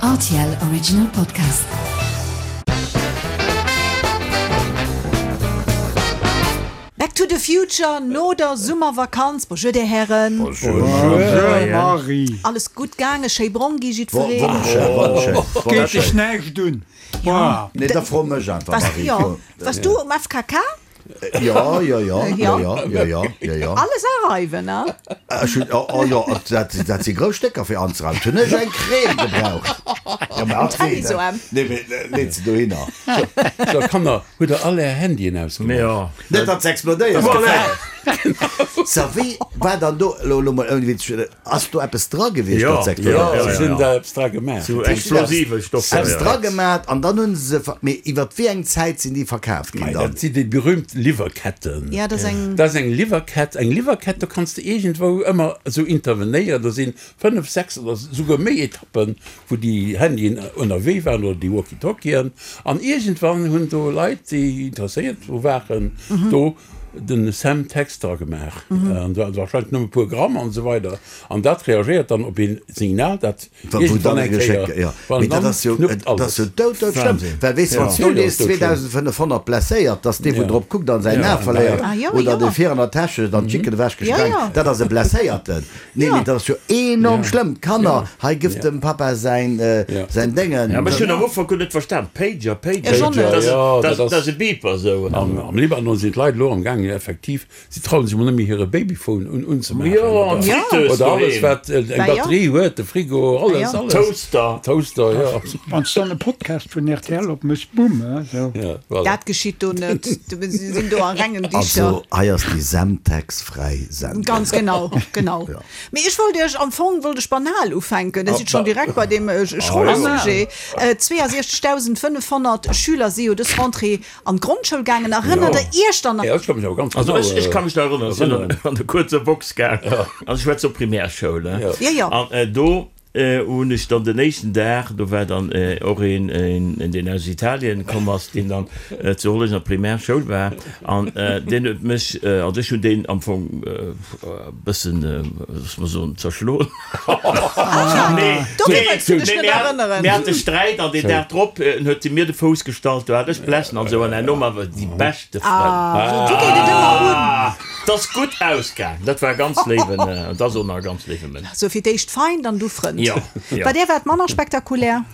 Rtl Original Podcast. Back to the Future no der Summervakanz. Bonjour dir Hären. Bonjour Marie. Alles gutt gaangen? Schéi brong gi jiddwereen? Wonnerschéin, wonnerschéin. Geet dech näischt un. Nee, da fro mech einfach Marie. Wars du um FKK? Jo, jo, jo, jo, jo, jo, jo, jo, jo. Alles areiwen, ne? Ech hunn, oh, oh jo, dat, dat si grouss Stécker fir anzereiwen. Hunn ech eng Crème gebraucht. Jo, mä Eng Tennisoarm. Nee, mee leet se dohinner. So, Kanner, hutt der all är Handyen ausgemaach? Jo. Net, datt se explodéieren. Voilà! So, wéi war dann do, elo, elo mol ouni Witz, Ass do eppes dra gewiescht, Jo, dat se explodéiert Jo, sinn? se hunn da eppes dra gemaach. Sou explosive Stoffer, Eppes jo. dra gemaat an dann hunn se se ver-, mee iwwert wéi eng Zäit sinn déi verkaaft ginn Mei, dann? dat sinn déi berühmt Liwwerketten. Ja, dat ass eng. Dat ass eng Liwwerkett. Eng Liwwerkett, do kanns de iergendwou ëmmer esou intervenéieren. Do si fënnef, sechs oder souguer méi Etappen, wou déi Handyen ënnerwee waren oder déi Walkie-Talkien. An iergendwann hunn do Leit, déi interesséiert dru waren, do den Semtex dra gemaach, an wahrscheinlech nëmme e puer Gramm an esou weider, an dat reagéiert dann op een Signal, dat iergendwann eng Kéier, wann dann knuppt alles. Dat ass jo doud doud schlëmm, well weess de, wann s du lies 2500 blesséiert, dass dee wou drop kuckt an säin A verléiert, oder dee vir an der Täsch huet an d'Jicken ewech gesprengt, dat ass e Blesséierten. Nee, mee dat ass jo enorm schlëmm. D'Kanner, hei gëff dem Papa säin säin Déngen. Ja, mä ech hunn am Ufank guer net verstan. Pager, Pager, dat ass e Beeper esou. Am Libanon sinn d'Leit elo am gaangen effektiv, si trauen sech emol net méi hire Babyphone un unzemaachen. Jo, an d'Fritteuse Oder alles doheem. wat eng Batterie huet, de Frigo, alles, alles. Toaster. Toaster, jo. Wann s dann e Podcast vun rtl opmëss, bumm, esou. Ja, voilà. Dat geschitt do net. Si sinn do a rengen Dicher. Also hei ass déi Semtex fräi Sendung. Ganz genau, genau. Ja. Mee ech wollt Iech, am Fong wollt ech banal ufänken, Dir sidd schonn direkt bei deem schroe Sujet. 62.500 Schüler si jo dës Rentrée an d'Grondschoul gaangen. Erënnert Der Iech dann nach? Ja, ech ka mech awer ganz Also genau ech, ech ka mech nach erënneren, ech sinn erënneren. an der kuerzer Box gaang. Also ech war zur Primärschoul, ne? Ja, ja. An do hunn ech dann den éischten Dag, do war dann och een, een, deen aus Italien komm ass, deen dann zu Hollerech an der Primärschoul war, an deen huet mech, also ech hunn deen am Fong e bëssen, loosse mer soen, zerschloen. Nee, Do wëlls du dech net erënneren. Mir hate Sträit an deen Dag drop huet e mir de Fouss gestallt, do hat ech Blessen an esou, an herno waren mer déi beschte Frënn. Ah, esou geet et ëmmer un. 't ass gutt ausgaang, dat war e ganz léiwen, et ass och nach e ganz léiwe Mënsch. Sou fir d'éischt Feind an du Frënd. Jo, jo. Bei där war et manner spektakulär.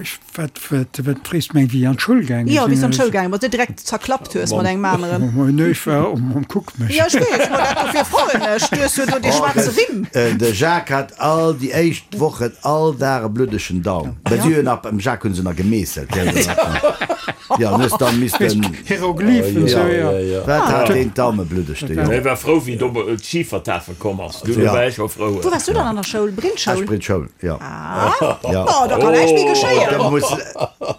Ech, wat, wat, wat frees du meng, wéi ech an d'Schoul gaange Jo, wéi s sinn? du an d'Schoul gaange bass, net direkt zerklappt hues mat engem aneren. Nee, ech war, oh, kuck mech. Jo, ech weess, ma dat dofir froen ech. Du hues jo do dee schwaarze Rimm. De Jacques hat all déi éischt Wochen all Dag e bluddegen Daum. Well si hunn nach, beim Jacques hunn se nach gemeesselt, gell. Jo, an hues dann missten. Hieroglyphen, sou, jo. Wat hat deen d'Daume bluddeg, de Jong. Ech war frou, wéi do d'Schifertafel komm ass. Du, do war ech scho frou. Wou waars du dann an der Schoul? Brillschoul? Esch Brillschoul, jo. Ah, oh, da kann näischt méi geschéien. Da muss,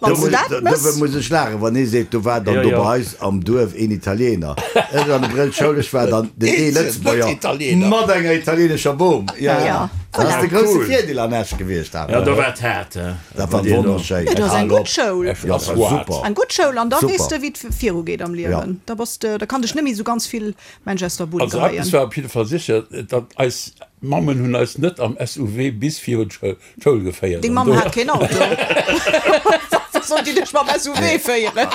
Wann s du dat mëss. Do muss ech laachen, wann ee seet, do war dann do bei eis am Duerf een Italiener. Ech an der Brillschoul, ech war dann den ee Lëtzebuerger mat enger italienescher Bom. Jo, jo. Dat ass de grousse Virdeel an Esch gewiescht awer. Jo, do war et haart. Dat war wonnerschéin. Jo, dat ass eng gutt Schoul. Ja, dat war super. Eng gutt Schoul an da weess de, Super. wéi et virugeet am Liewen. Da bass de, da kann dech net méi esou ganz vill Mensch aus der Bunn Also geheien. eppes war op jidde Fall sécher, datt eis Mammen hunn eis net am SUV bis virun d'Schoul geféiert. Deng An Mamm do. hat keen Auto. Wéi sollt déi dech mam SUV féieren?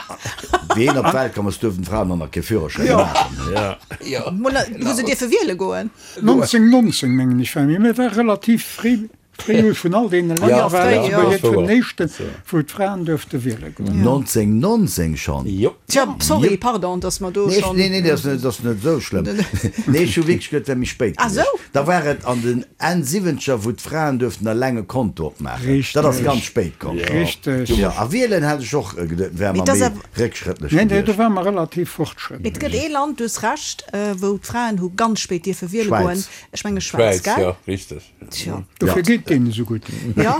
Wéi een op d'Welt komm ass, duerften d'Fraen och nach kee Führerschäin maachen. Jo. Mol, hu se dierfe wiele goen? 1919, mengen ech, war mir. Mir war relativ fréi. Fréi vun all deene Länner war Lëtzebuerg eent vun den éischten, wou d'Fraen duerfte wiele goen. 1919 schonn? Jo. Tja, sorry, pardon, dass mer do schonn. Nee, nee, dat ass net esou schlëmm. Nee, ech hu wierklech geduet, et wär méi spéit gewiescht. Da war et an den Enn Siwwenzeger, wou d'Fraen duerften eleng e Konto opmaachen. Dat ass ganz spéit komm. Richteg. Jo, a wielen hat ech och geduet, wäre mer méi réckschrëttlech Nee, nee, gewiescht. do ware mer relativ fortschrëttlech. Et gëtt ee Land, du hues Recht, wou d'Fraen hu ganz spéit dierfe wiele goen. Schwäiz. Ech menge Schwäiz, Schwäiz, gell? jo, richteg. Tja. Dofir geet deenen esou gutt. Ja.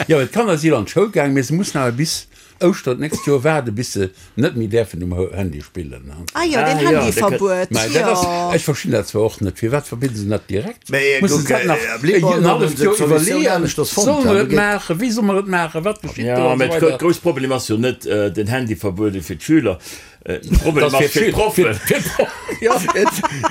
Jo, d'Kanner si an d'Schoul gaang, mee se mussen awer bis. Ouschteren d'nächst Joer waarde bis se net méi däerfen um Handy spillen. Ah jo, deen Handyverbuet, jo. Ech verstinn dat zwar och net, firwat verbidde se dat direkt? Musse se dat nach en halleft Joer iwwerleeën? Solle mer et maachen? Wéi solle mer et maachen? Wat geschitt do? An esou weider. De grousse Problem ass jo net den Handyverbuede fir d'Schüler, de Problem ass fir d'Proffen.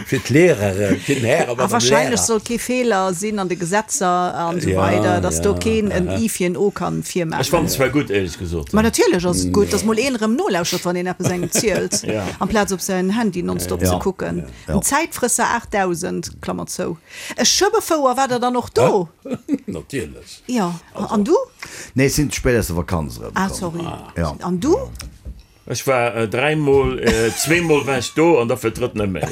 Fir d'Lehreren, fir den Här a A Madame wahrscheinlech Lehrer. soll kee Feeler sinn an de Gesetzer an esou weider, dass do keen en I fir en O kann Ech fannen virmaachen. et zwar gutt, éierlech gesot. Ma natierlech ass et gutt, dass mol een erëm nolauschert, wann een eppes engem zielt, amplaz op säin Handy nonstop ze kucken. En Zäitfrësser 8000, Klammer zou. E Schëbbefouer, war der dann och do? Natierlech. Jo, an du? Nee, ech sinn ze spéit aus der Vakanz erëmkomm. Ah, sorry. An du? Ech war dräimol, zweemol war ech do an da fir d'drëtt net méi.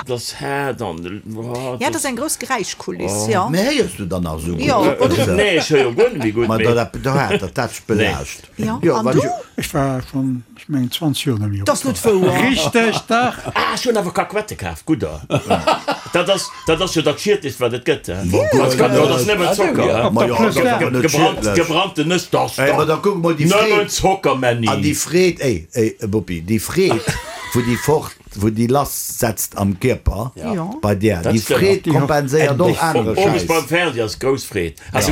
Dat ass haart an oh. Ja, dat ass eng grouss Geräischkuliss, jo. Mee héiers du dann nach esou gutt? Nee, ech héier guer net méi gutt. Ma da dat dat dat belaascht. Jo, an du? Ech war schonn, ech mengen 20 Joer net méi op. Dat ass net wouer. Richteg, dach! Ah, ech hunn awer Kakuette kaf, gudder. Dat ass, dat ass jo dat Schiedlechst, wat et gëtt, he? Dat ass nëmmen Zocker. Op der Plus d'Or. Gebrannt, gebrannten Nëss, dat ass Ey, ma da kuck mol déi Freed. Nëmmen Zocker, Männi. An déi Freed, ey, ey, Bopi, déi Freed, wou déi fort, wou déi lass setzt am Kierper bei där, déi Freed kompenséiert och anere Owes Schäiss. beim Fernseh ass grouss Freed. Also,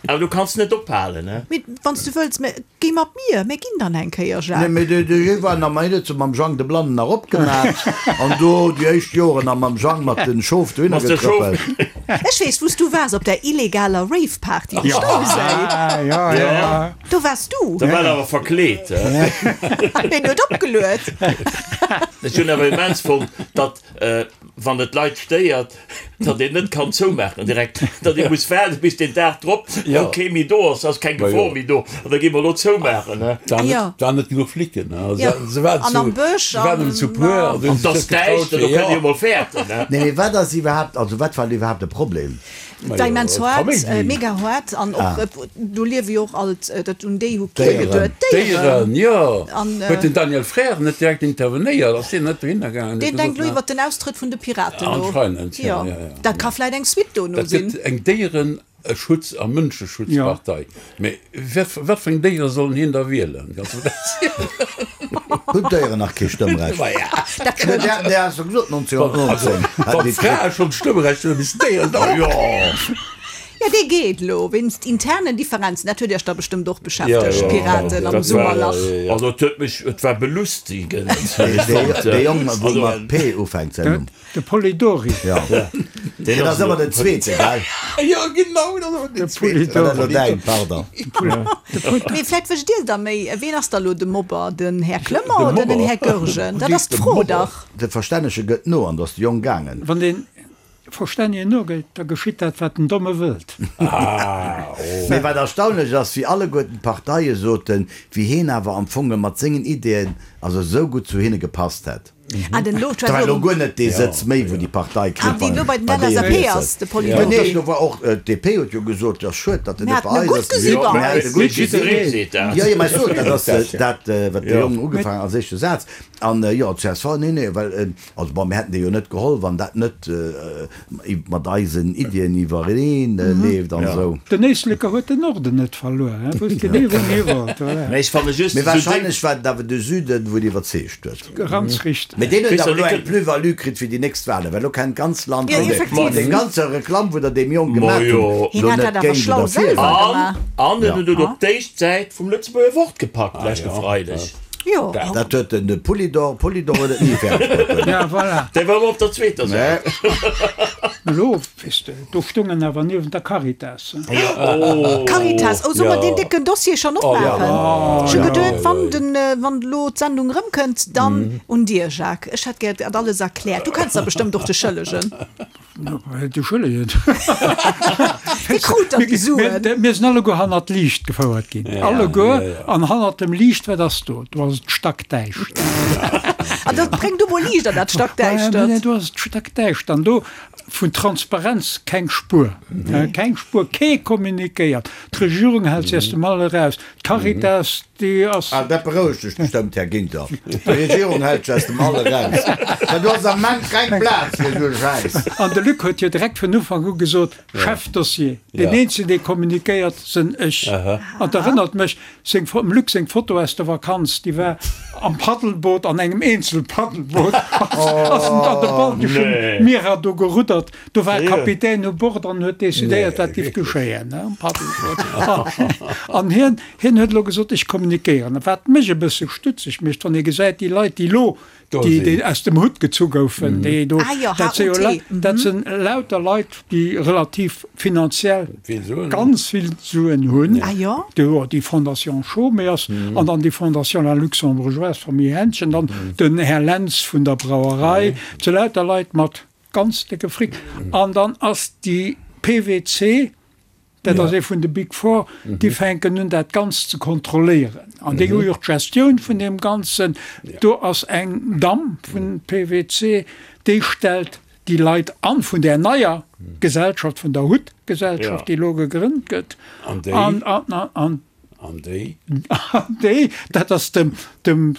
awer du kanns net ophalen, he? Mee wann s du wëlls, mä Géi mat mir, mir ginn dann eng Kéier, Nee, Jacques. mee de de war nach mei net sou mam Jang de Blannen nach opgemaat an do déi éischt Joren nach mam Jang mat den Schof dohinner Mat de Schof. getrëppelt. Ech weess, wou s du waars, op där illegaler Rave-Party um Stauséi. Ja, ja, ja. Do waars du. Da war en awer verkleet, he? Hien huet opgeluet. Ech hunn awer immens fonnt, datt, wann et d'Leit stéiert, datt een net kann zoumaachen direkt, datt ee muss waarden bis deen Dag drop, wou kee méi do ass, ass keng Gefor méi do, an da gi mer elo zoumaachen. Et waren net genuch Flicken, se waren An am Bësch, se waren nëmmen zu puer, an An et ass däischter, do kënnt ee jo mol fäerten. Nee, mee wat ass iwwerhaapt, also wat war iwwerhaapt de Problem? Et war immens haart, mega haart an och do liewe jo och alt, dat un déi hu kee geduet, D'Déieren, jo. Huet den Daniel Frères net direkt intervenéiert? Ass deen net dohinner gaangen? Deen denkt elo iwwert den Austrëtt vun de Piraten no. Anscheinend, jo, jo, jo. Dat ka vläit eng Suite dono sinn. Dat gëtt eng Déiereschutz a Mënscheschutzpartei. Mee wat wat fir eng Déiere sollen hien da wielen? Kanns du mer dat zielen? Hunn d'Déieren nach kee Stëmmrecht? Dat kënnt. Déi has du gesot 1919. Wann d'Frae schonn d'Stëmmrecht hunn, da missten d'Déieren et och hunn. Jo, dee geet elo wéinst internen Differenzen. Dat huet Iech da bestëmmt och beschäftegt, d'Piraten am Summerlach. Also et huet mech, et war belustigend. Dee Jong, wou mat P ufänkt säin Numm. De Polidori. Jo. Deen ass ëmmer den Zweete, gell? Jo, genau, dat ass ëmmer den Zweeten. Dat ass elo däin, pardon. Mee vläit wësst Dir da méi, Ween ass da elo de Mobber? Den Här Clement oder den Här Goergen? Dat ass d'Fro dach. De Verstännege gëtt no an do ass de Jong gaangen. Wann dee Verstännegen nogeet, da geschitt dat, wat den Domme wëllt. Mee wat erstaunlech ass, wéi alleguerten d'Parteie soten, wéi heen awer am Fong mat sengen Ideeën also esou gutt zu hinne gepasst hätt. Ah, den lo, Da war elo guer net dee Sëtz méi, wou déi Partei kritt, Ah, wien elo bei den LSAP ass, de Polidori. Mä nee, do war och, d'DP huet jo gesot, jo schued, datt en Mir net haten bei e eis gutt ass. gesi bei Mir eis. haten e gutt gesi. Jo, jo, mä ech soen, dat ass dat, wat de Jong ugefaangen als éischte Saz. An jo, csv, nee, nee, well, also bon, mir hätten dee jo net geholl, wann dat net mat eisen Iddien iwwereneen leeft an esou. Den Éisleker huet den Norden net verluer, hie wousst genee wou en hi wollt, voilà. Mä ech fanne just Mee wahrscheinlech war et awer de Süden, wou et iwwerzeegt huet. Ganz richteg. Mee deen huet awer elo eng Plus-value kritt fir déi nächst Wahlen, well elo kennt d'ganz Land Jo, un. effektiv. Deng ganze Reklamm, wou der deem Jong gemaat hunn, Hien elo hat net dat awer géint schlau oder fir selwer war. gemaach. An en huet et op d'éischt Säit vum Lëtzebuerger Wort gepackt leschte Freideg. Jo. Dat huet den Polidor, Polidor huet et ni fäerdeg bruet. Ja, voilà. Dee war ëmmer op der zweeter Säit. Elo, weess de, do stung en awer niewent der Caritas. Caritas, oh, solle mer deen décken Dossier schonn opmaachen? Ech hu geduet, wann den, wann elo d'Sendung erëmkënnt, dann un dir, Jacques. Ech hätt gär dat alles erkläert. Du kenns der bestëmmt och de Schëllegen. De Schëllegen? Wie krut dann déi Suen? Mir sinn alleguer hannert d'Liicht gefouert ginn. Alleguer. An hannert dem Liicht, wat ass do? Do ass et stackdäischter. An da bréng du mol Liicht an dat Stackdäischtert. Do ass et stackdäischter. An do. Vun Transparenz keng Spuer, keng Spuer, kee kommunikéiert. D'Regierung hält sech aus dem All eraus, d'Caritas, déi ass. Ah, dat berouegt lech bestëmmt, Här Ginter. D'Regierung hält sech aus dem All eraus. Well do ass am Ament keng Plaz fir esou e Schäiss. An de Luc huet jo direkt vun Ufank u gesot, Chefdossier, deen eenzegen, dee kommunikéiert, sënn ech. An et erënnert mech, Seng dem Luc seng Foto aus der Vakanz, déi war am Paddelboot, an engem Eenzelpaddelboot ass en an de balteschen Mierer do geruddert. Do war e Kapitän u Bord an huet decidéiert, wat giff geschéien am Paddelboot. An hien, hien huet elo gesot, ech kommunikéieren. Wat mech e bësse stutzeg mécht, wann ee gesäit, déi Leit, déi elo déi déi aus dem Hutt gezu goufen, déi do, dat si jo dat sinn lauter Leit, déi relativ finanziell ganz vill Suen hunn, jo déi Fondation Chaumet ass an dann déi Fondation La Luxembourgeoise, Famille Hänchen, dann den Här Lentz vun der Brauerei, dat si lauter Leit mat ganz décke Fric. An dann ass déi PWC, Dat ass ee vun de Big Four, déi fänken un dat Ganzt ze kontrolléieren. An déi hu jo och d'Gestioun vun deem Ganzen. Do ass eng Damm vun PwC, déi stellt déi Leit an vun där neier Gesellschaft, vun der Hutt-Gesellschaft, déi elo gegrënnt gëtt. An déi? An déi? An déi, dat ass dem, dem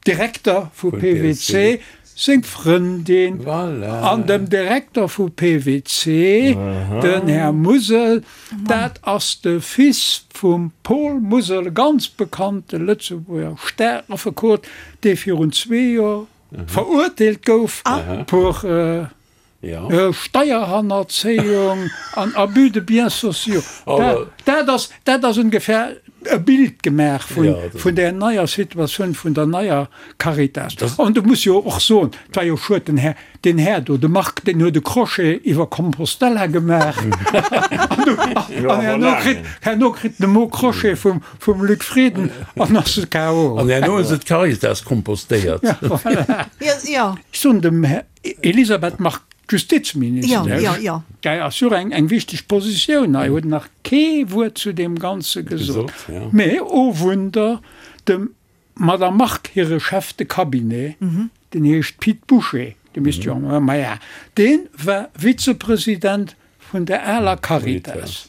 Direkter vu PWC seng Frëndin an dem Direkter vu PWC, den Här Musel, dat ass de Fils vum Paul Musel, e ganz bekannte Lëtzebuerger Staraffekot, dee virun zwee Joer verurteelt gouf pour Steierhannerzéiung an Abus de biens sociaux. Dat ass, dat ass ongefähr e Bild gemaach vun där neier Situatioun, vun der neier Caritas. An du muss jo och soen, et war jo schued, den Här, deen Här do, de Marc, deen huet e Crochet iwwer Compostela gemaach an herno kritt, herno kritt en e Mot Crochet vum, vum Luc Frieden an ass e KO. An herno hu se d'Caritas kompostéiert. Ja, voilà. Ech soen dem Här. Elisabeth Margue, Justizministesch, däi ass jo eng eng wichteg Positioun hei, huet nach kee Wuert zu deem Ganze gesot. Mee, oh Wunder, dem Madame Margue hire Chef de Cabinet, deen heescht Pit Bouché, dee misst jo, maja, dee war Vizepresident vun der aler Caritas.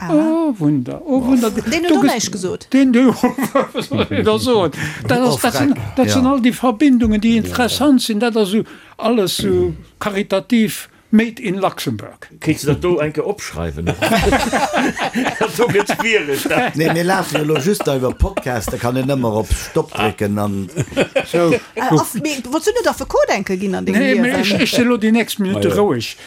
Oh Wunder, oh Wunder. Deen huet och näischt gesot. Deen, wat soll een da soen? Dat ass, dat sinn, dat sinn all déi Verbindungen, déi interessant sinn. Dat ass esou alles esou karitativ made in Luxembourg. Kéints de dat do eng Kéier opschreiwen och? Dat do gëtt schwiereg. Nee, mir lafen jo elo just da iwwer Podcast, da kann een ëmmer op Stop drécken an. Sou. Mee wolls du net Affekot enke ginn an dengem Liewen? Nee, mee ech, ech sinn elo déi nächst Minutte roueg.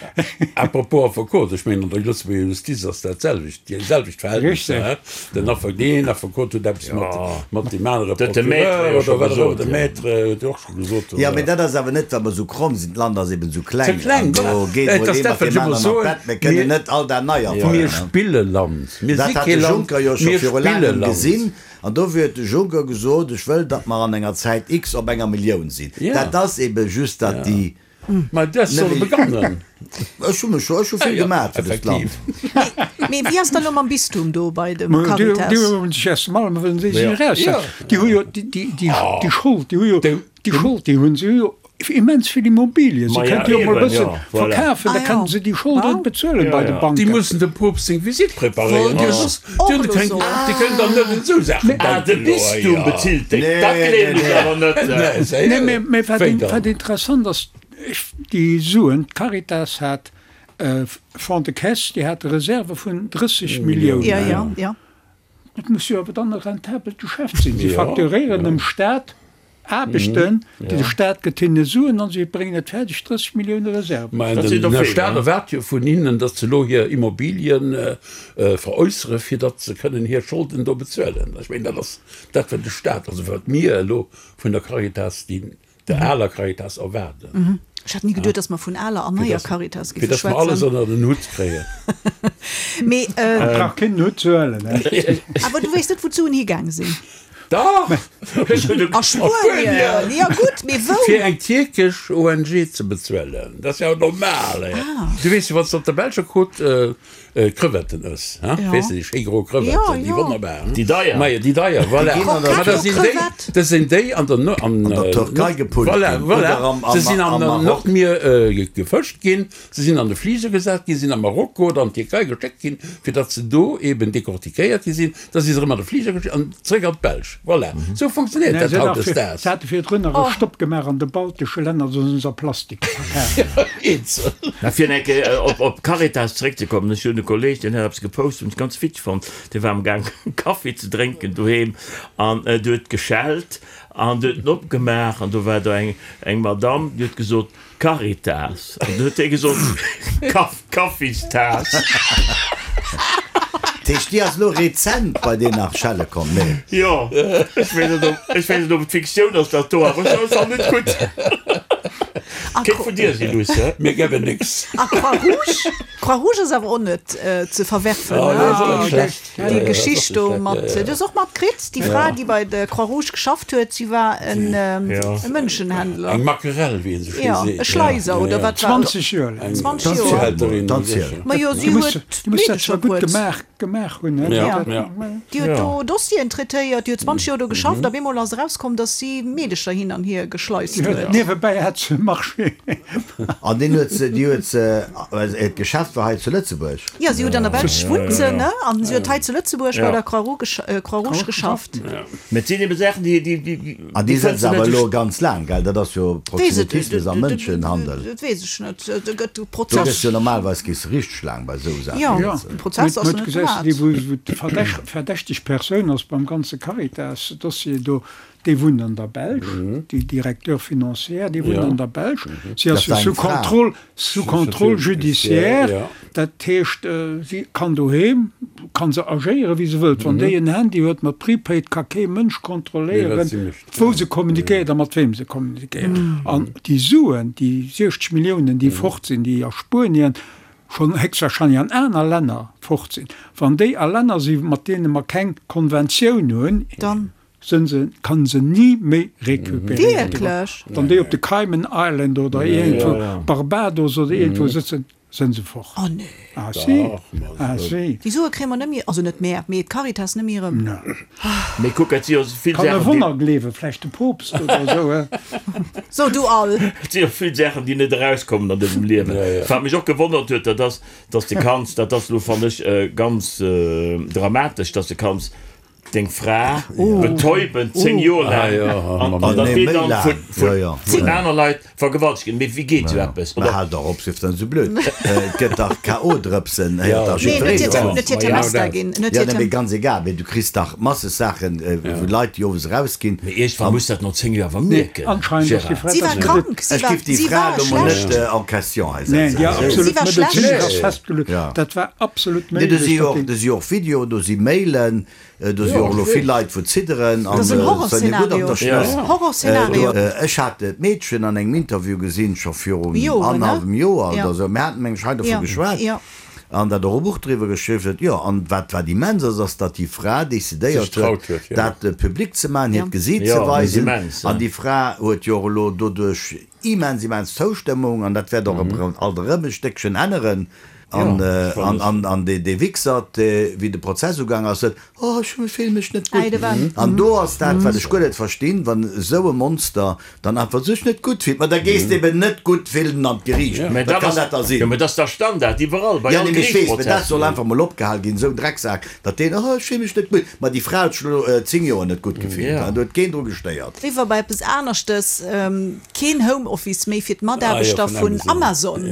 À propos Affekot, ech mengen an der Lëtzebuerger Justiz ass dat selwecht, déi selwecht Verhältnisser. Den Affek, deen Affekot huet eppes mat, mat deem anere Procureur oder wat och ëmmer, de Maître huet jo och scho gesot. Jo, mee dat ass awer net, well mer esou kromm sinn. D'Land ass eben esou kleng. Ze kleng, An do geet et mol ass ee dat, mat wat ech deem ëmmer aneren an soen, d'Bett. Mir kënnen mir, net all dat nei mir erfannen. spille Land. Mir Dat si hat kee de Land, Juncker jo scho mir viru spille laangem Land. gesinn. An dofir huet de Juncker gesot, ech wëll, datt mer an enger Zäit X op enger Millioun sinn. Dat ass ebe just, datt déi. Mä dat soll begannen. Ech hu mech scho, ech hu vill gemaat fir dëst Land. Mee wéi ass da lo mam Bistum do bei dem Caritas? Déi hunn sech erst emol, wëllen déi sech eraussetzen. Déi hu jo déi Schold, déi hu jo déi Schold, déi hunn se jo immens vill Immobilien. Se kënnte jo emol e bësse verkafen, da kënnen se déi Schold net bezuelen bei de Banken. Déi mussen dem Poopst seng Visitt preparéieren. Déi kënnen dann net un esou Saachen denken. Ah, de Bistum bezilt déi? Dat gleewen ech awer net. Nee, mee wat interessant ass, déi Suen, d'Caritas hat Fonds de caisse, déi hate Reserve vun 30 Milliounen. Dat muss jo awer dann e rentabelt Geschäft sinn. Si facturéieren dem Staat Aarbechten, de Staat gëtt hinne Suen an si bréngen et fäerdeg 30 Millioune Reserven. Mä den Staat erwaart jo vun hinnen, datt se elo hir Immobilien veräussere fir datt se kënnen hir Scholden do bezuelen. Ech mengen, dat ass dat wat de Staat, also wat mir elo vun der Caritas, déi der aler Caritas erwaarden. Ech hat ni geduet, datt mer vun aler an neier Caritas géife schwätzen. Fir datt mer alles ënner den Hutt kréien. Mee. Et brauch keen den Hutt ze huelen. Awer du weess net, wou d'Suen higaang sinn? Dach! A Spuenien! Jo gutt, mee wou? Fir eng tierkesch ONG ze bezuelen. Dat ass jo normal. Du weess jo, wann s de op der belscher Côte Crevetten ëss, hein, weess de, déi schéi gro Crevetten, déi wonnerbar, hein? Déi deier. Majo, déi deier, voilà. Ma dat sinn déi, dat sinn déi an der, an der Türkei gepullt ginn. Voilà, voilà. Se sinn am Nordmier gefëscht ginn. Se sinn an de Fliger gesat ginn, sinn a Marokko oder an d'Tierkei geschéckt ginn, fir datt se do eben decortiquéiert gi sinn. Da si se erëm an de Fliger gestiegen an zréck an d'Belsch. Voilà, esou funktionéiert dat hautdesdaags. Se hate virdrun nach e Stopp gemaach an de baltesche Länner, do sinn se a Plastik verpakt. Eenzel. Mä fir eng Kéier op Caritas zeréckzekommen, Ech hunn e Kolleeg, deen hat eppes gepost, hunn ech ganz witzeg fonnt. Dee war amgaang Kaffi ze drénken doheem an et huet geschellt an du huet en opgemaach an do war do eng Madamm, déi huet gesot, Caritas. An du huet hie gesot, Kaffistaass. Dat heescht, déi ass elo rezent bei deen nach schelle komm? Nee. Jo, ech weess net, ob, ech weess net, ob et Fiktioun ass, dat do, awer ech fannen et gutt. Kéint vun dir sinn, Luss, hä? Mir gëbben nix. A Croix-Rouge? Croix-Rouge ass awer och net ze verwerfen, ne? Déi Geschicht do mat, du hues och matkritt, déi Fra, déi bei der Croix-Rouge geschafft huet, si war en Mënschenhändler. Eng Makerell, wéi ee sou schéi seet. Jo, e Schleiser, oder wat war et? 20 Joer laang. 20 Joer. Ma jo, si huet Meedecher bruet. Gemaach hunn. Jo, déi huet do Dossieren traitéiert, déi huet 20 Joer do geschafft, a bemol ass erauskomm, datt si Meedecher hin an hier geschleist huet. Niewebäi hat se e Marché. An deen huet se, déi huet se, well hiert Geschäft war hei zu Lëtzebuerg. Jo, si huet an der Belsch wunnt se, ne? An si huet hei zu Lëtzebuerg bei der Croix-Rouge geschafft. Mä et sinn ebe Saachen, déi, déi, déi. An déi sëtzt awer elo ganz laang, gell? Dat ass jo Proxenetismus a Mënschenhandel. Dat weess ech net. Do gëtt e Prozess. Do gëss jo normalerweis gees de richteg laang bei esou Saachen. Jo, de Prozess ass net gemaach. Déi, wou d'verdächteg Persoun ass beim ganze Caritas-Dossier do, déi wunnt an der Belsch, déi Directeur financière, déi wunnt an der Belsch. Si ass jo sous contrôle. Sous contrôle judiciaire, dat heescht, si kann doheem, kann se agéieren, wéi se wëllt. Wann déi en Handy huet mat Prepaid, ka kee Mënsch kontrolléieren, wou se kommunikéiert a mat weem se kommunikéiert. An déi Suen, déi 60 Milliounen, déi fort sinn, déi a Spuenien, schonn héchstwahrscheinlech an aner Länner fort sinn, wann déi a Länner sinn, mat deene mer keng Konventioun hunn, Sënn se, kann se ni méi recuperéiert ginn. Wierklech? Wann déi op de Cayman Island oder iergendwou, Barbados oder iergendwou sëtzen, sënn se fort. Oh nee. Ah si, ah si. Déi Sue kréie mer net méi, also net mär, mee d'Caritas net méi erëm. Mee kuck, et si jo vill Kann e Saachen, déi. Wonner gleewen, vläicht de Poopst oder esou, he? So, du all. Et si jo vill Saachen, déi net erauskommen an dësem Liewen. Wat mech och gewonnert huet, dat ass, dass de kanns, dat ass elo, fannen ech, ganz dramatesch, dass de kanns deng Fra betäuben 10 Joer laang an datt déi dann vun aner Leit vergewaltegt ginn. Mee wéi geet esou eppes? Mä hal dach op, sief dann esou blöd. Et gëtt dach KO-Drëpsen, héiert dach jiddwereen dovun. Jo, nee, mee ganz egal, mee du kriss dach masseg Saachen, wou Leit déi owes erausginn. Mee iergendwann muss dat no 10 Joer awer mierken, Gérard. Si war krank, si Ech war, giff déi si Fra war elo mol schlecht. net en question hei setzen. Nee, déi Si absolut war schlecht. medezinesch ass festgeluecht. Dat war absolut Nee, do méiglech, si jo datt och, déi. do si jo och Videoen, do si Mailen, do si jo och elo vill Leit wou zidderen Dat an ass en se hunn gutt op Horrorszenario. der Schnëss. Horrorszenario. Ech hat d'Meedchen an engem Interview gesinn, scho virun Joren, ne? annerhallwem Joer Ja. oder esou. Mir haten mengen ech hei dovu Ja, geschwat ja. an dat och e Buch driwwer geschriwwen huet. Jo, an wat, wat immens ass, ass, datt déi Fra decidéiert Sech traut huet, huet, ja. dat public ze maachen, hiert Ja. Gesiit ze Jo, dat ass weisen. immens, An ja. déi Fra huet jo och elo doduerch immens, immens Zoustëmmung an dat wäert och alt erëm e Stéckchen änneren. An, an, an dee, dee Wichsert, dee, wéi de Prozess ugaang ass, sot, Oh, ech fille mech net gutt. An do ass dat, wat ech guer net verstinn, wann esou e Monster dann einfach sech net gutt fillt. Ma da gees de eben net gutt fillen an d'Geriicht. Mä Wat dat kann ass, dat da sinn? jo, mä dat ass da Standard iwwerall, bei Ja, all nee, mee ech weess, mä dat soll Geriichtsprozessen. einfach mol opgehal ginn, esou en Drecksak, datt deen, Oh, ech fille mech net gutt. Ma déi Fra huet sech elo 10 Joer net gutt gefillt an do huet keen dru gestéiert. Eriwwer bei eppes aneschtes, Keen Homeoffice méi fir d'Mataarbechter vun Amazon.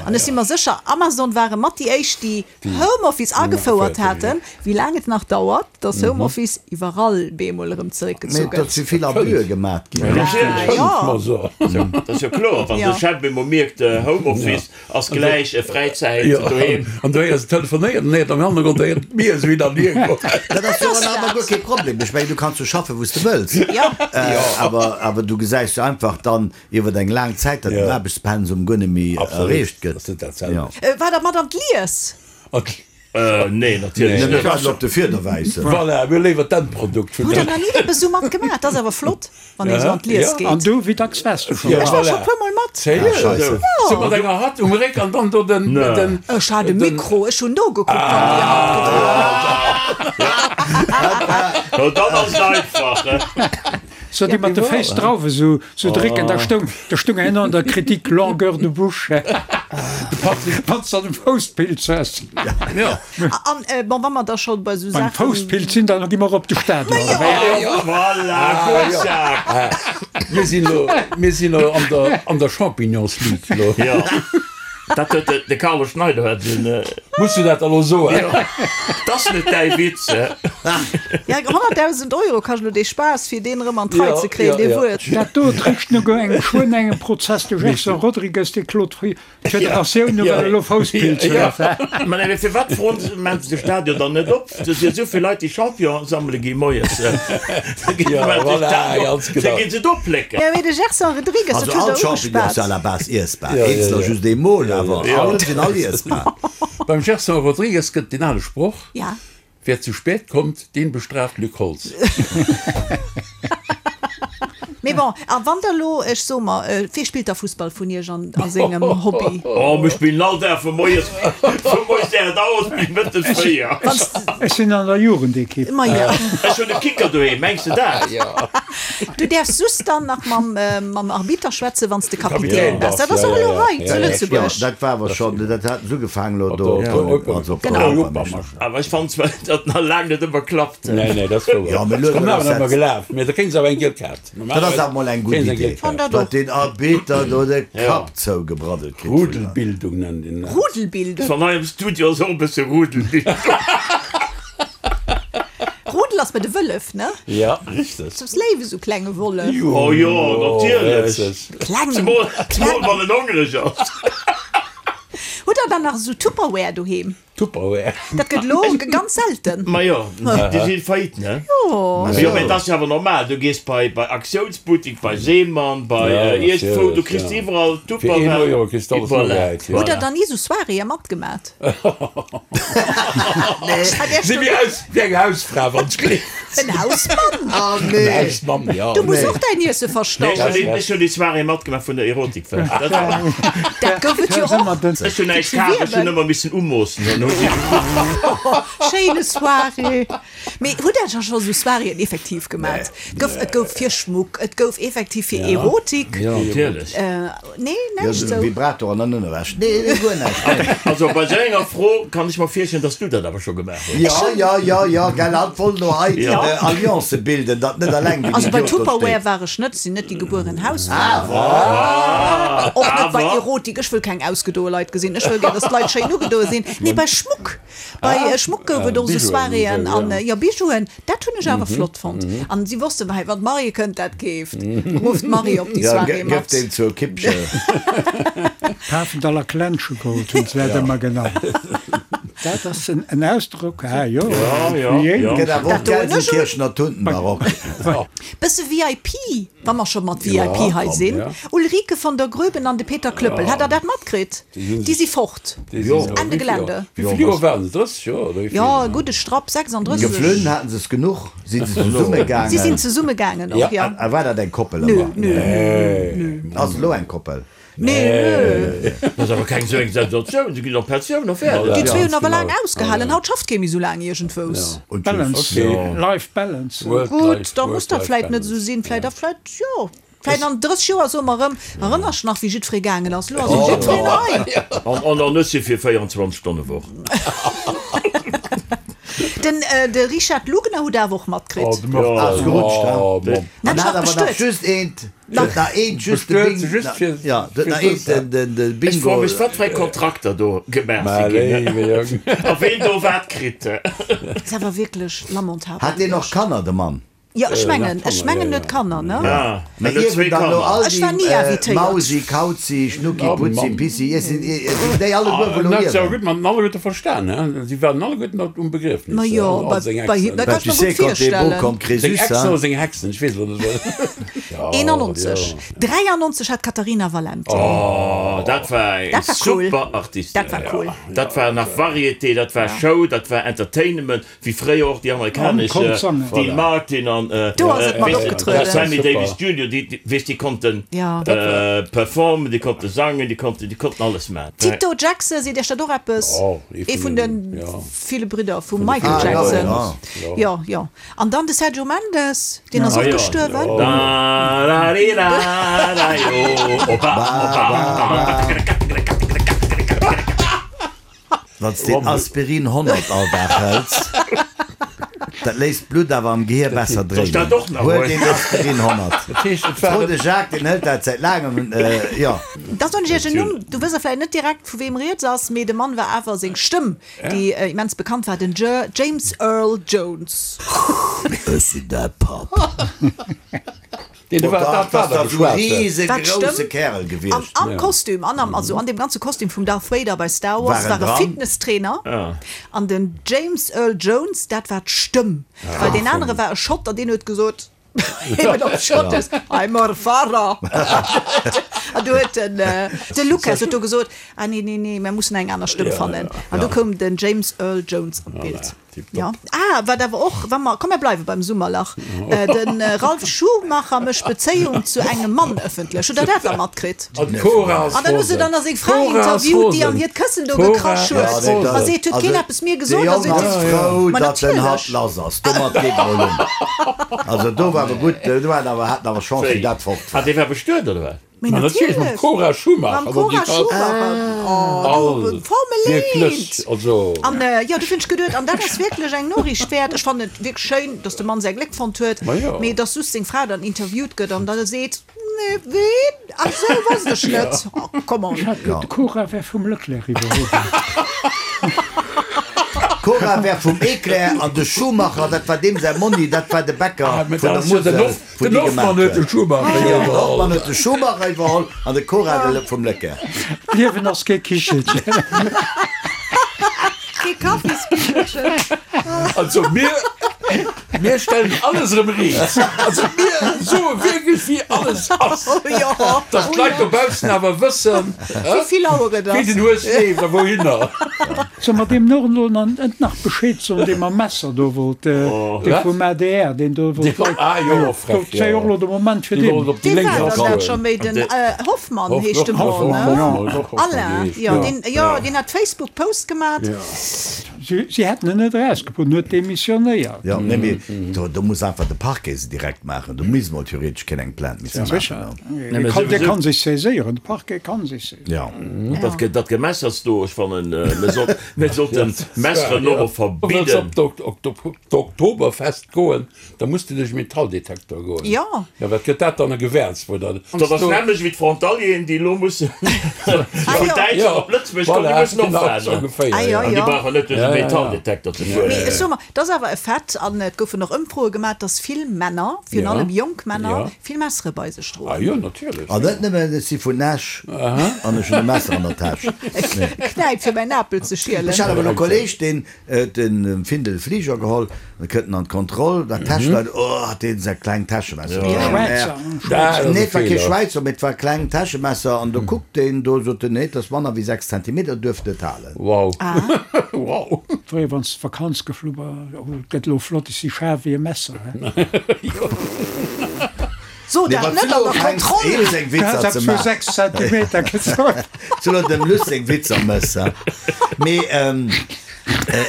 An ech si mer sécher, Amazon ware mat déi éischt, déi Homeoffice agefouert haten. Wéi laang et nach dauert, dass Homeoffice iwwerall bemol erëm zeréckgezu Mee et gëtt. si vill Abüe gemat ginn. Dat ass jo kloer, wann de Chef bemol mierkt, Homeoffice ass gläich Fräizäit doheem. An do héiers de telefonéieren, an héiert am Hannergrond héiert d'Mier esou hin an hier goen. Dat ass jo awer guer kee Problem. Ech mengen, du kanns jo schaffen, wou s de wëlls. Awer, awer du gesäis jo einfach dann iwwer eng laang Zäit, datt den Aarbechtspensum guer net méi erreecht gëtt. War der mat an d'Lies? Nee, natierlech net. Mir waarden op de Fiederwäissen. Voilà, mir hu léiwer d'Endprodukt vun Hutt der nach ni eppes esou mat gemaach? Dat ass awer flott, wann ee sou an d'Lies geet. An du, wéi dacks waars du scho mat? Ech war scho puer mol mat. Sérieux? Sou mat enger Hatt um Réck an dann do den. Ech hat e Mikro, ech hunn nogekuckt, wann déi Hatt gedroen huet. No dann ass et einfach. So déi mat de Féiss Drauwe sou sou drécken, da stoung da stoung herno an der Kritik longueur de bouche, wann s de an de Fousspilz hues. An bon, wa mer da scho bei sou Beim Saachen. Fousspilz sinn, dann gi mer op de Stadion. Voilà, gutt Jacques. Mir sinn elo, mir sinn elo an der an der Champignonsligue elo. Jo. Dat huet de, de Carlo Schneider huet en. Muss du dat elo soen? Jo, 't ass net däi Witz, hä? Ja, 100.000 Euro kascht elo dee Spaass, fir deen erëm an d'Rei ze kréien, dee Wuert. Dat do trécht no engem geschwënn engem Prozess. De Gerson Rodrigues, dee klot d'Federatioun no, well e elo Fousspilz huet. Mä nee, firwat froen se, maachen se de Stadion dann net op? Do si jo esou vill Leit, déi Champignonen sammele gi moies. Da ginn se do plécken. Jo, mee de Gerson Rodrigues, dat Also huet all der Champignons ugeschwat. si à la base iessbar. Eenzeler just eemol, awer all sinn all iessbar. Beim Gerson Rodrigues gëtt deen ale Sproch, Ja. Wer zu spät kommt, den bestraft Luc Holtz. Mee bon, a wann der elo, ech soe mer, wee spillt da Fussball vun iech an a sengem Hobby? Oh, mir spillen all Dag vu moies, vu moies 8 Auer bis mëttes 4. Ech sinn an der Jugendekipp. Majo. Ech hunn e Kicker doheem, mengs de dat? Du däerfs just dann nach mam, mam Arbitter schwätzen, wann s de Kapitän bass. Dat ass och elo hei zu Lëtzebuerg. Jo, dat war awer schonn, dat haten se ugefaangen elo do, also op der Genau. Europameeschterschaft. Awer ech fannen zwar, datt nach laang net ëmmer klappt. Nee, nee, dat ass wouer. Jo, mee Elo ass ëmmer gelaf, mee da kréien se awer eng giel Kaart. Dat ass awer mol eng gutt Idee, datt deen Arbiter do de Kapp zougebraddelt kritt. Rudelbildung nennt een dat. Rudelbildung? Wann hei am Studio ass och e bësse Rudelbildung. Rudel ass bei de Wëllef, ne? Ja, richteg. Soss léif esou klenge Wollef. Oh jo, natierlech. Kleng. Zemol, zemol wann en hongreg ass. Hutt der dann nach esou Tupperware doheem? Tupperware. Dat gëtt elo ganz selten. Majo, déi si faillite, ne? Jo. Jo, mä et ass jo awer normal, du gees bei bei Aktiounsbuttik, bei Seemann, bei iergendwou, du kriss iwwerall Fir een Tupperware. Euro kriss de alles Voilà, nogehäit, jo. Hutt der voilà. dann ni esou Soiréeë matgemat? Si wéi aus wéi eng Hausfra, wann ech gleef. En Hausmann? Ah nee! En Hausmann, jo. Du muss och däin Iesse Nee, ech verstauen. hunn déi, ech hunn déi Soirée matgemaach vun der Erotikfest. Dat war. Dat gouf et jo och. Ech hunn näischt kaf, ech hunn ëmmer missen umoossen. Dann hu si. Schéine Soirée. Mee hutt der da scho sou Soiréeën effektiv gemat? Gouf, et gouf fir Schmuck, et gouf effektiv fir Erotik. Jo, natierlech. Nee, Jo, näischt esou sou. Vibrator an dann Ënnerwäsch. Nee, nee, guer näischt, nee. Also bei sou enger Fro kann ech mer virstellen, dass du dat awer scho gemaach hues. Jo, jo, jo, jo, gell, hatt wollt elo hei Alliancë bilden, datt net alleng den Also bei Idiot do Tupperware steet. war ech net, sinn net déi gebueren Hausfra. Awer! Och net bei Awer! Erotik, ech wëll keng ausgedoe Leit gesinn, ech wëll gär, dass d'Leit schéin ugedoe sinn. Nee, bei Schmuck, bei Schmuck gouf et och sou Soiréeën an, jo, Bijouen. Dat hunn ech awer flott fonnt. An si wossten, hei, wann d'Marie kënnt, dat keeft. Rufft d'Marie op déi Ja, Soirée gëff mat. deen zur Kippche. Pafendaller Klenschegold hunn se dat ëmmer genannt. Dat ass en Ausdrock, ah jo, Ja, ja, ja. Gëtt awer och Dat doen ech un. Gelsenkirchener Tuntenbarock. Bësse VIP, wa mer scho mat VIP hei sinn. Ulrike von der Groeben an de Peter Klöppel, hat der dat matkritt? Déi si fort. Ende Gelände. Wéi vill Joer waren se? 30 Joer oder wéi vill? Jo, e gudde Strapp, 36. Geflunn haten se es genuch? Sinn se zesumme gaangen? Si sinn zesumme gaangen och, jo. A war dat eng Koppel Nö, ëmmer? nö, nö, nö. Ass elo eng Koppel? Nee, nö. Dat ass awer keng esou eng Sensatioun, se ginn op Pensioun a fäerdeg. Déi zwee hunn awer laang ausgehalen. Haut schafft kee méi esou laang iergendwous. Balance, Life Balance. Gutt, da muss dat vläit net esou sinn. Vläit a vläit, jo. Vläit an 30 Joer soe mer erëm, Erënners nach wéi jiddweree gaangen ass? Lo ass erëm jiddwereen hei. An an ech si fir 24 Stonne Woch. Den de Richard Lugner hutt awer och matkritt. Ass gerutscht, he? Net An hat nach awer nach bestuet. just eent, huet nach eent just de Bing, ja, huet nach eent den, den, de Ech froe Bingo. mech wat fir eng Kontrakter do gemaach si ginn, a ween do wat kritt. Ass awer wierklech lamentabel. Hat deen och Kanner, de Mann? Jo, ech mengen, ech mengen en huet Kanner, ne? Mä ierwen dann elo all déi Mausi, Kauzi, Schnucki, Putzi, Pissi, sinn déi alleguer wou elo ierwen? Gutt, mat alleguerte verstan, he? Si waren alleguerten op um Begriefnis. Ma jo, bei, bei him, dat kann ech mer gutt virstellen. Seng Exen oder seng Hexen, ech weess elo net. 91, 93 hat d'Caterina Valente. Oh, dat war eng Dat war cool. super Artistin. Dat war cool. Dat war nach Variété, dat war Show, dat war Entertainment. Wéi fréier och déi amerikanesch, Dean Martin an Sammy Davis Junior, déi, weess, déi konnten performen, déi konnte sangen, déi konnten, déi konnten alles maachen. Tito Jackson, seet Iech dat och eppes? Ee vun de ville Bridder vum Michael Jackson. Jo, jo. An dann de Sergio Mendes, deen ass och gestuerwen. Wann s de Aspirin 100 all Dag hëls, dat léisst d'Blutt awer am Gehier besser dréinen. Huel deen Aspirin 100. Fro de Jacques, deen hëlt dat säit laangem, jo. Da soen ech iech en Numm, du wëss a vläicht net direkt vu weem rieds ass, mee de Mann war awer seng Stëmm, déi immens bekannt war, den James Earl Jones. Ech sinn däi Papp. Dat ass da sou e riesegrousse Kärel gewiescht. An am Kostüm, an am, also an deem ganze Kostüm vum Darth Vader bei Star Wars war e Fitnesstrainer. An den James Earl Jones, dat war d'Stëmm, well deen anere war e Schott an deen huet gesot, eben op Schottesch, I'm a Farrer. An du huet den, de Lucas huet do gesot, ah nee, nee, nee, mer mussen eng aner Stëmm fannen. An du koum den James Earl Jones an d'Bild. Ja. Ah, wat awer och, wa mer, komm mer bleiwe beim Summerlach, de Ralph Schumacher mécht Bezéiung zu engem Mann ëffentlech. Hutt Der dat da matkritt? An d'Cora ass An dann hu se rosen. dann nach seng Fra D'Cora ass interviewt, déi an rosen. hiert Këssen do D'Cora gekrasch huet ass a rosen. seet, huet keen eppes mir De gesot? A Jong seet ass si, frou, Ma datt en hatt natierlech. lass ass. Domat geet mol un. Also do war awer gutt, do hat awer, haten awer Chance, wéi dat fort Ah, war. dee war bestuet, oder wat? Mee Ma natierlech, mam natierlech. Cora Schumacher. Mam Cora Schumacher. Oh, du, Formel Wierklech, 1! also. An jo, du hunn ech geduet, an dat ass wierklech eng Noriicht wäert. Ech fannen et wierklech schéin, datt de Mann säi Gléck fonnt huet, Ma jo. mee datt just seng Fra dann interviewt gëtt an da seet, Nee, ween? Ach sou, wosst ech net. Oh, come on. Ech hat geduet, d'Cora wär vum Leclerc iwwerholl ginn. D'Cora wär vum Eclair an de Schumacher, dat war deem säi Monni, dat war de Bäcker Mä vun dat der ass jo den Musel. Hoff, Den Hoffmann huet de Schumacher iwwerholl. Den Hoffmann huet de Schumacher iwwerholl an de Cora de vum Leclerc. D'Liewen ass kee Kichelchen. Kee Kaffiskichelchen. Also mir, mir stellen alles erëm riit. Also mir soe wierklech wéi alles ass. Oh jo. Dass d'Leit dobaussen awer wëssen, Wéi vill Auer et wéi ass. den Hues leeft a wouhinner. Soll mer deem och elo net nach Bescheed soen, dee mam Messer do wollt, dee vum adr, deen do wollt Leit, Ah jo, och frech, do wär jo och elo de Moment fir deen. Dee war dann dat scho méi, den Hoffmann heescht de Mann, ne? Alain, jo, deen, jo, deen hat Facebook Post gemat. Si hätten en net erausgebrot, en huet demissionéiert. Jo, nee, mee do, do muss einfach de Parquet se direkt maachen. Do misst mol theoretesch keen eng Plainte misse maachen. Dee kann, dee kann sech saiséieren, de Parquet kann sech saiséieren. Jo. Dat, dat Gemessers do, ech fannen, mir sollten, mir sollten d'Messeren och verbidden. Wëlls op d'Oktoberfest goen, da muss de duerch e Metalldetektor goen. Jo. Jo, wat gëtt dat dann e Gewäerz, wou der. Dat ass nämmlecht wéi d'Frontalieren, déi elo musse vun Däitschland op Lëtzebuerg kommen, déi mussen och waarden. An déi brauchen net duerch e Metalldetektor ze fueren. Mee ech soe mer, et ass awer e Fait, an et goufen och Ëmfroe gemaach, dass vill Männer, virun allem jonk Männer, vill Messere bei sech droen. Ah jo, natierlech. An net nëmmen, ech si vun Esch an ech hunn e Messer an der Täsch. E Knäip fir mäin Apel ze schielen. Ech hat awer elo e Kolleeg, deen huet den Findel Fliger geholl, da kënnt en an d'Kontroll, dat Täscheleit, oh, hat deen säi klengt Täschemesser. Schwäizer. Nee, et war kee Schwäizer, mee et war e klengt Täschemesser an do kuckt deen do, sot en, nee, et ass manner wéi 6 Zentimeter, duerft net halen. Wow. Wow. Fréier wann s d'Vakanz geflu bass, oh, et gëtt elo flott, ech si schaarf wéi e Messer, he. So dat net an der Kontroll! Du has eppes vu 6 Zentimeter gesot. Zu elo dem Luss seng Witzer mëss, he. Mee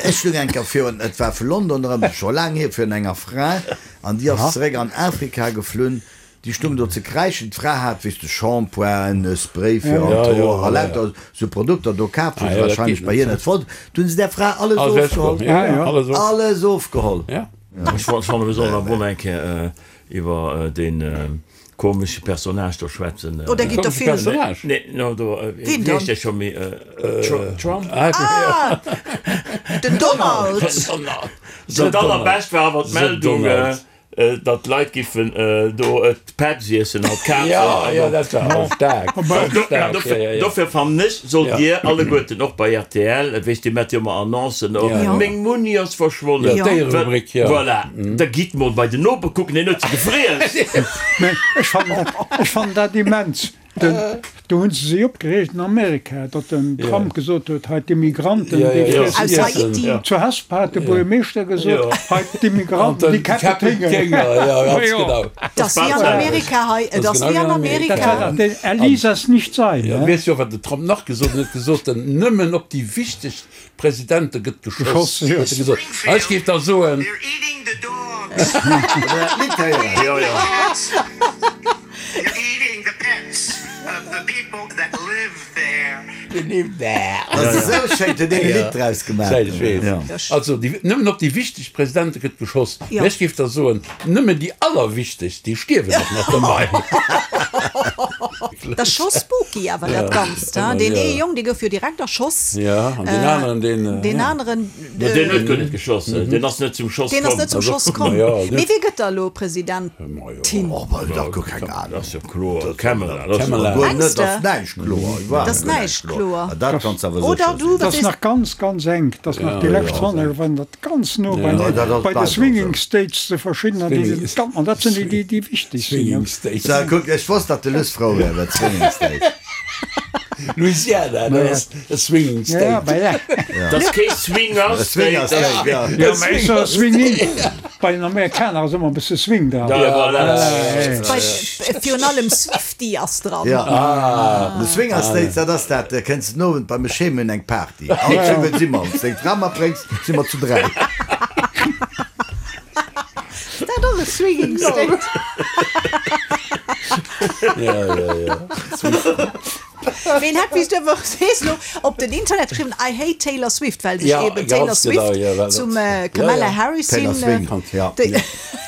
ech stung eng Kéier virun, et war vu London erëm, scho laang hier, virun enger Fra an déi ass zeréck an Afrika geflunn. Déi stung do ze kräischen. D'Fra hat, weess de, Shampoingen, e Spray fir an d'Hoer a lauter sou Produkter do kaf, wou se wahrscheinlech bei hir net fonnt. Du hunn se där Fra alles ofgeholl. Alles ofgeholl. Ech fannen, mir sollen awer och eng Kéier iwwer dee komesche Personnage do schwätzen. Oh, där gitt der vill. Nee, no do, wéi heescht dee scho méi? Trump? Ah, den Donald! Dat allerbescht war awer d'Meldung. Datt d'Leit giffen do d'Pets iessen an d'Kazen. Jo, jo, dat war och staark. Dofir fannen ech, sollt Dir alleguerten och bei rtl, et weess, Dir maacht jo ëmmer Annoncen och, Meng Munni ass verschwonnen. Jo, d'Déiererubrik, jo. Voilà, da gitt mol bei den Noper kucken, deen huet se gefriess. Mä ech fannen dat, ech fannen dat immens. Den, do hunn se sech opgereegt an Amerika, datt den Trump gesot huet, hei d'Immigranten, déi friessen Aus Haiti. Zu Hesper hat de Buergermeeschter gesot, hei d'Immigranten, déi käppen d'Hénger. Et ass wéi an Amerika hei, et ass wéi an Amerika. Dat war dach den Er ließ es nicht sein, ne? Weess jo, wat den Trump nach gesot huet? En huet gesot, nëmmen op déi wichteg Presidente gëtt geschoss, huet e gesot. Ech géif da soen. Also nëmmen op déi wichteg Presidente gëtt geschoss. Mä ech géif da soen, nëmmen déi allerwichtegst, déi stierwen och nach dobäi. Dat ass scho spooky awer dat Ganzt, hein? Deen ee Jong, dee gouf jo direkt erschoss. Jo, an deen aneren, deen. Deen aneren. No, deen huet guer net geschoss, deen ass net zum Schoss komm. Deen ass net zum Schoss komm. Mee wie gëtt da elo Presidentin? Oh, bah, dat guer keng Ahnung. Dat ass jo kloer, Kamala. Dat ass jo guer net, dat ass näischt kloer. Dat ass näischt kloer. Dat kanns de awer sécher Oder du, Dat wat ass sees. nach ganz, ganz enk. Dat ass nach déi lescht Sonndage waren dat ganz no bei Ja, bei de Swinging States, de verschiddener, déi sinn ganz, an dat sinn déi, déi, déi wichteg sinn. Swinging States. So, kuck, ech wosst, datt de Luss frou wär iwwer d'Swinging States. Louisiana, dat ass e Swinging State. Ja, bah ja. Dat ass kee Swinger E Swinger State. State, ja. Ja, mä ech soe Swinging. Bei den Amerikaner ass ëmmer e bësse Swing dran. Ja, voilà. Bei, virun allem Swiftie ass dran. Ja, de Swinger States, dat ass dat, kënns den Owend bei mech heem, mir hunn eng Party. All zesumme si mer. Wann s deng Fra matbréngs, si mer zu 3. Dat och e Swinging State. Ja, ja, ja. Ween hat, wéi s du awer sees elo, op den Internet geschriwwen, I hate Taylor Swift, well sech Ja, eben Taylor ganz genau, Swift ja, well zum dat- Kamala ja, ja. Harris Taylor hin. Swing, ja. déi-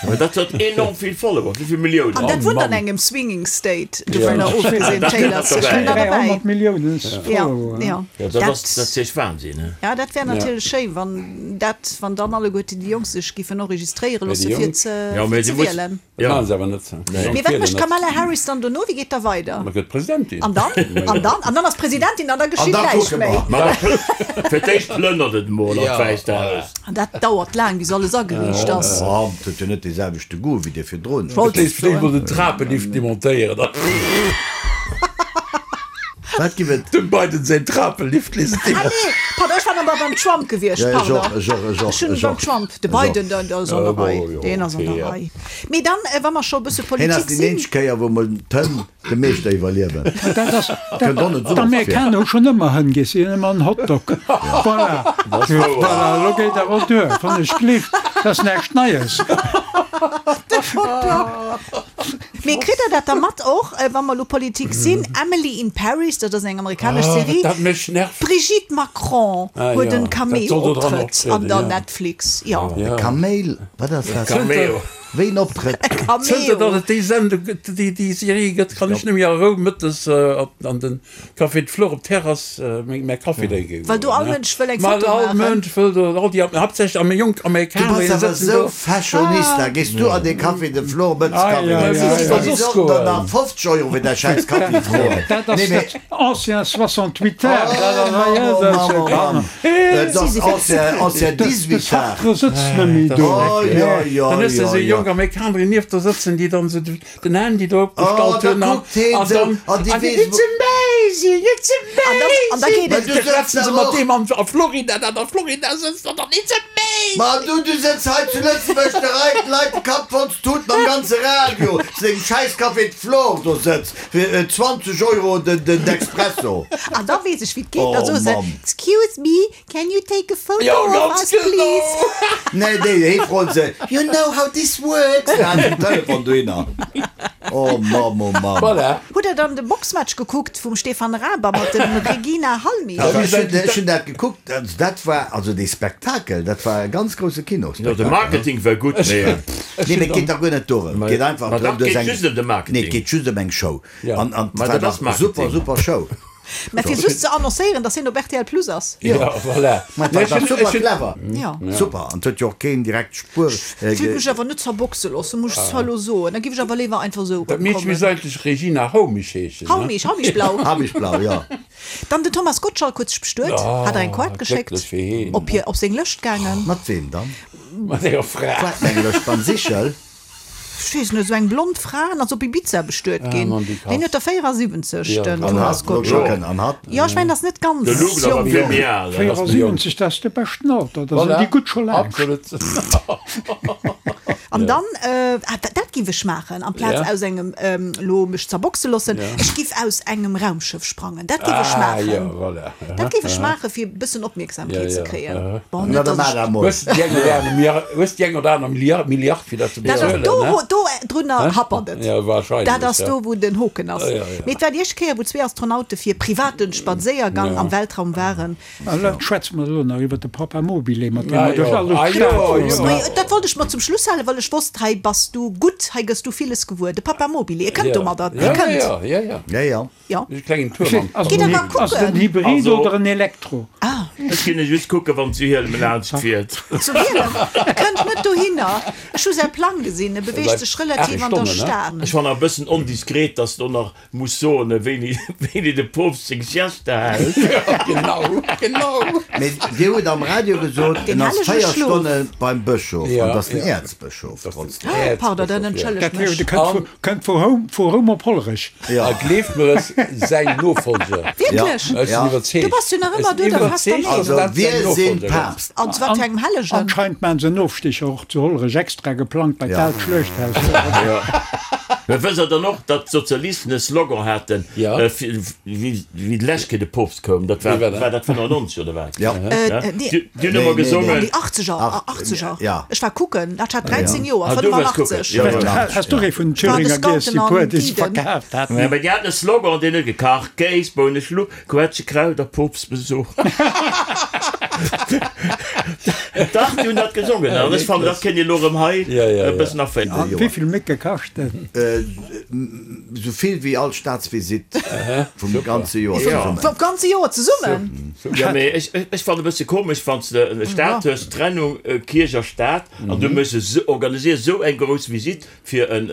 Mä dat huet enorm vill Follower, wéi vill Milliounen? An dat Oh wunnt an Mann. engem Swinging State, dovunner ofgesinn, Dat Taylor kënnt Swift derbäi. kënnt da derbäi. 300 Milliounen Ja, Follower. ja. Ja, dat ass dat ass echt Wahnsinn, ne? Ja, dat wär natierlech schéi, wann dat, wann dann alleguerten déi Jonk sech giffen enregistréiere Mä déi loosse fir Jonk- ze, Ja, mä fir si ze muss- wielen. Dat maachen se awer net. Mee wat mécht d'Kamala Harris dann dono? Wéi geet da weider? Ma gëtt Presidentin. An dann? An dann? An dann ass Presidentin an da geschitt näischt méi. Ma fir d'éischt plënnert et emol an d'Wäisst Haus. An dat dauert laang, bis alles ageriicht ass. Trump huet jo net dee selwechte Goût wéi dee virdrun. Wollt Fir d'éischt mol den Trapelift demontéieren. Wat giff et? Dem Biden säin Trapelift léisst Ah nee, pardon, ech war nach beim Trump gewiescht, Ja, ech och, pardon. ech och, ech och, Ech hunn ech beim och. Trump, de Ech och. Biden, den ass an der Rei, deen ass an der Rei. Mee dann, wa mer scho e bësse Hien ass Politik déi sinn. eenzeg Kéier, wou mol d'Hënn de Meeschter iwwerliewen. Dat ass, Kënnt och net esou oft vir. d'Amerikaner hu schonn ëmmer Hënn giess, si hunn ëmmer en Hotdog. Voilà, voilà, elo geet awer duer, wann ech gleeft, dat ass näischt Neies. De Hotdog. Mee kritt der dat da mat och, wa mer elo Politik sinn, Emily in Paris, dat ass eng amerikanesch Serie, Dat mech nervt. d'Brigitte Macron Ah, huet jo, en dat Cameo soll do dran Optrëtt an optrieden, der ja. Netflix, jo. E Kaméil? Wat ass dat? Cameo. Wéi en Optrëtt? E Zënter Cameo. datt et déi Sendung gëtt, déi, déi Serie gëtt, kann ech net méi a Rou mëttes op, an den Café de Flore op d'Terrass meng, mäi Kaffi drénke goen. Well do all Mënsch wëll eng Well Foto all maachen. Mënsch wëll do, all déi, haaptsächlech am jonk Du Amerikaner, bass déi awer sëtzen esou do. Fashionista. Gees du an dee Café de Flore mëttes Ai, Kaffi ai, drénken? ai, ai. An déi sollten der nach 50 Euro fir däi schäiss Kaffi froen. Dat ass Nee, mee. dat ancien 68 art, dat ass Oh, hei, Mamm, dat ass Mamm, jo Mamm. Dat ass ancien, ancien De 18 art. Sartre sëtzt net méi do. Oh, jo, jo, Dann hues de jo, esou jo. jonk Amerikanerin nieft der sëtzen, déi dann esou den Handy do Oh, opgestallt da hunn an kuckt heen an sou, dann an déi an weess It's amazing, it's amazing! An da geet Mä et. du Da sëtz schwätzen se dach mat och. deem an a Florida, dat a Florida sëtzt an dann It's amazing! Ma du, du sëtz hei zu Lëtzebuerg, de reit d'Leit de Kapp voll ze tuten am ganze Radio, zu dengem schäiss Café de Flore do sëtz, fir 20 Euro den den Expresso. An da weess ech wéi et geet, da Oh soe se, Mamm. Excuse me, Can you take a photo Jo, of ganz us, genau. please? Nee, déi hee froen se, You know how this works? An halen den Telefon dohinner. Oh Mamm, oh Mamm. Voilà. Hutt der dann de Boxmatch gekuckt vum Stefan Raab a mat dem Regina Halmich? Also ech hunn, ech hunn dat gekuckt, also dat war, also dee Spektakel, dat war e ganz grousse Jo, de Kinospektakel. Marketing war gutt, mee. Nee, mee et geet dach guer net dorëm. Et geet einfach Ma drëm, dach, du hues geet eng, just ëm de nee, Marketing. et geet just ëm eng Show. Ja. An, an Ma et war dat ass dach super, Marketing. super Show. Mä fir just ze annoncéieren, datt hien op rtl Plus ass. Jo, voilà. Mä dat ass super clever. Jo. Super. An et huet jo och keen direkt Spuer. Ech wëll mech awer net zerboxe loossen, muss ech zwar elo soen. Da giff ech awer léiwer einfach esou Dat Meedche erëmkommen. misst eigentlech Regina Haumich heeschen, ne? Haumich, Haumich-Blau. Haumich-Blau, jo. Dann den Thomas Gottschalk huet sech bestuet, hat der eng Koart geschéckt, Glécklech fir heen. op hir, op seng Lëscht gaangen. Mat weem dann? Mat enger Fra. Wat eng Lëscht? Beim Sichel? Ech weess net, esou eng blond Fra an ass op Ibiza bestuet ginn. Deen huet der 74, den Thomas Gottschalk. Jo, ech mengen, ass net ganz jonk. 74, dat ass de beschten Alter, da sinn déi gutt scho laanscht. An dann, ah, dat giff ech maachen, amplaz aus engem, elo mech zerboxe loossen, ech giff aus engem Raumschëff sprangen. Dat giff ech maachen. Dat géif ech maachen, fir e bëssen Opmierksamkeet ze kréien. Bon, net dass ech. Hues de déi eng oder aner Milliard, hues de déi eng oder aner Milliard, Milliard fir dat ze Dat ass bezuelen, do, ne? wou, do drunner happert et. Ja, wahrscheinlech, Dat ass ja. do, wou den Hoken ass. Ja, ja, ja. Mee et war déi éischt Kéier, wou zwee Astronaute fir private Spadséiergang am Weltraum waren. A lo schwätze mer elo nach iwwer de Papa Mobile, mat deem Ah mer duerch jo, all ah Stad jo, fueren. jo. Mee dat wollt ech mer zum Schluss halen, well ech wosst, hei bass du gutt, hei gëss du villes gewuer. De Papa Mobile, e kënnt domadder, e Ja, kënnt. ja, ja, ja. Ja, ja. Jo. E klengen Tuerm am Gitt Park. der mal Ass et en kucken. Hybrid Also- oder en Elektro? Ah. Ech ginn e just kucken, wann zu Hielem laanscht fiert. Zu Hielem? E kënnt net dohinner. Ech hu säi Plang gesinn, e beweegt sech relativ an der Stad. Ech fannen e bëssen ondiskret, dass do nach muss soen, wéini wéini de Poopst seng Siesta hält. Genau, genau. Mee Dir hutt am Radio gesot, Den en ass hellege 4 Schlof. Stonne beim Bëschof, Ja, an dat ass den ja. Äerzbëschof trotzdem. Pardon, dann entschëllegt Dat mech. de kënnt vu, kënnt vu Roum, vu Roum op Hollerech. A gleeft mer es, säin Nofolger. Wierklech? Ech sinn iwwerzeegt. Du bass jo nach ëmmer do der fester Meenung. Also, wir sind Papst. An zu wat fir engem Hellegen? Anscheinend maachen se en Ofsticher och zu Hollerech extra geplangt bei Ja. d'aalt Schluechthaus. Mä wësst Der dann och, datt d'Sozialisten e Slogan haten, wéi d'lescht Kéier de Poopst koum, dat war, war dat 95 oder wat? Ja. Déi hunn ëmmer gesongen. Déi achtzeger, achtzeger. Ja. Ech war kucken, dat hat 13 Joer, Ah, du waars kucken. 85. Ja, ja. Has du ee vun den Thüringer giess, déi puer, déi se verkaaft haten? Mä déi haten e Slogan, deen huet gekacht, Kéis, Bounen, Schlupp, Quetschekraut a Poopstbesuch. Dach, déi hunn dat gesongen. An ech fannen, dat kéint een elo erëm hei e bëssen aféieren. Wéi vill Mécke kascht en? Esou vill wéi all Staatsvisitt vum ganze Joer zesummen. Vum ganze Joer zesummen? Jo, mee ech fannen e bësse komesch, wann s de e Staat hues, Trennung Kierch a Staat, an du méchs esou, organiséiers esou eng grouss Visitt fir en,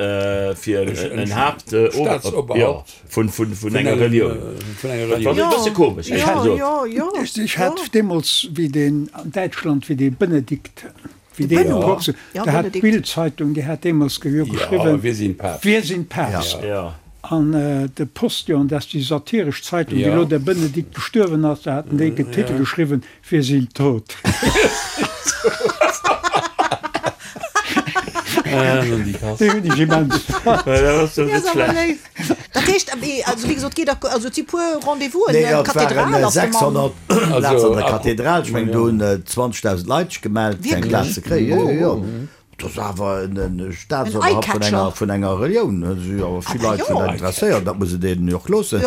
fir en Haapt, Staatsoberhaupt vun, vun, vun enger Relioun. Dat fannen ech e bësse komesch, éierlech gesot. Ech hat deemools, wéi deen an Däitschland, wéi dee Benedikt, Wéi deen Poopst, da hat d'Bild-Zeitung, déi hat deemools jo geschriwwen, Wir sind Papst. An de Postillon, dat ass déi satiresch Zeitung, wéi elo de Benedikt gestuerwen ass, da haten déi den Titel geschriwwen, Wir sind tot. Déi hunn ech immens fonnt. Dat heescht, also wéi gesot, geet der, also et si puer Rendez-vousen, Nee, et d'Kathedral waren ass de Mann. 600 Plazen an der Kathedral. Ech mengen, do hunn 20.000 Leit sech gemellt, fir eng Plaz ze kréien. Jo, jo, jo. Dat ass awer en Staatsoberhaupt vun enger, vun enger Relioun. Do si jo awer vill Leit vun dat interesséiert. Dat muss een deenen jo och loossen.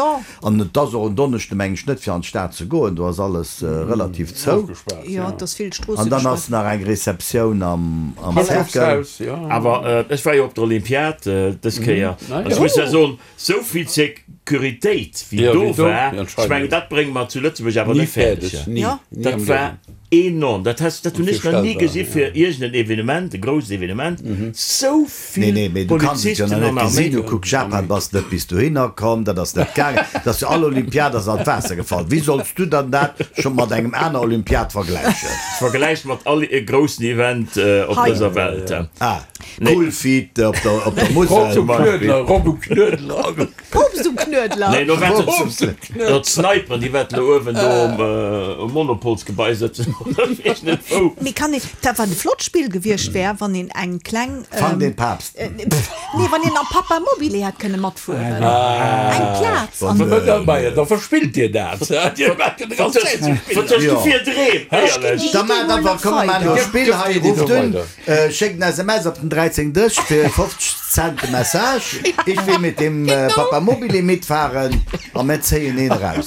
An et ass och en Donneschde, meng ech, net fir an d'Stad ze goen. Do ass alles relativ zou. Jo, et ass vill Stroosse An dann gespaart. ass nach eng Receptioun am Cercle. Awer ech war jo op der Olympiad dës Kéier an ech muss ja soen, sou vill Securitéit wéi do war, ech mengen dat brénge mer zu Lëtzebuerg awer net fäerdeg. Dat war enorm, dat has, dat hunn ech nach ni gesi fir iergend en Evenement, e grousst Evenement, sou Nee, vill nee, mee du kanns et jo Polizisten nach an net gesinn. Du Arméi. kucks, Japan bass net bis dohinner komm, dat ass net gaangen. Dat ass jo all Olympiad ass an d'Waasser gefall. Wéi solls du dann dat scho mat engem aner Olympiad vergläichen? Ech vergläiche mat all groussen Event op Hei. dëser Welt. Ah, Coolfeet op der, op der Rob Musel. um Knuedler, Rob um Knuedler. Poopst um Knuedler. Nee, lo wäerten d'Sniperen, déi wäerten lo uewen do um Monopolsgebai sëtzen oder weess net wou. Mee kann een, dat wat e flott Spill gewiescht wär, wann een eng kleng, Fang den Papst. nee, wann een am Papa Mobile hätt kënne matfueren, eng Plaz an. Da verspillt Dir dat. Dir maacht jo de ganz Zäit sou Spiller. Wat hues du fir Dreem, éierlech? Da maacht einfach, komm mer maachen elo e Spill hei, rufft un, Schéckt en SMS op den 13 Dësch fir 50. Cent de Message, Ich will mit dem Papamobile mitfahren a mir zéien een eraus.